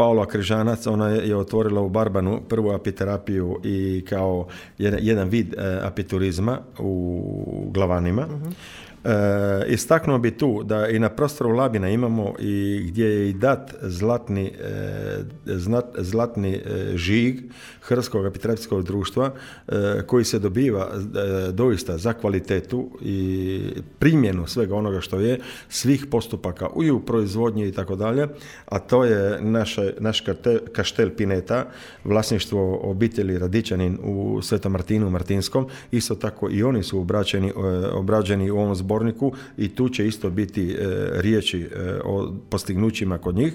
Paola Križanac, ona je otvorila u Barbanu prvu apiterapiju i kao jedan vid apiturizma u Glavanima. Istaknuo bi tu da i na prostoru Labina imamo i gdje je i dat zlatni žig Hrvatskog apiterapijskog društva koji se dobiva doista za kvalitetu i primjenu svega onoga što je, svih postupaka i u proizvodnji i tako dalje, a to je naš kaštel Pineta, vlasništvo obitelji Radičanin u Svetom Martinu Martinskom. Isto tako i oni su obrađeni u ovom zborniku i tu će isto biti riječi o postignućima kod njih.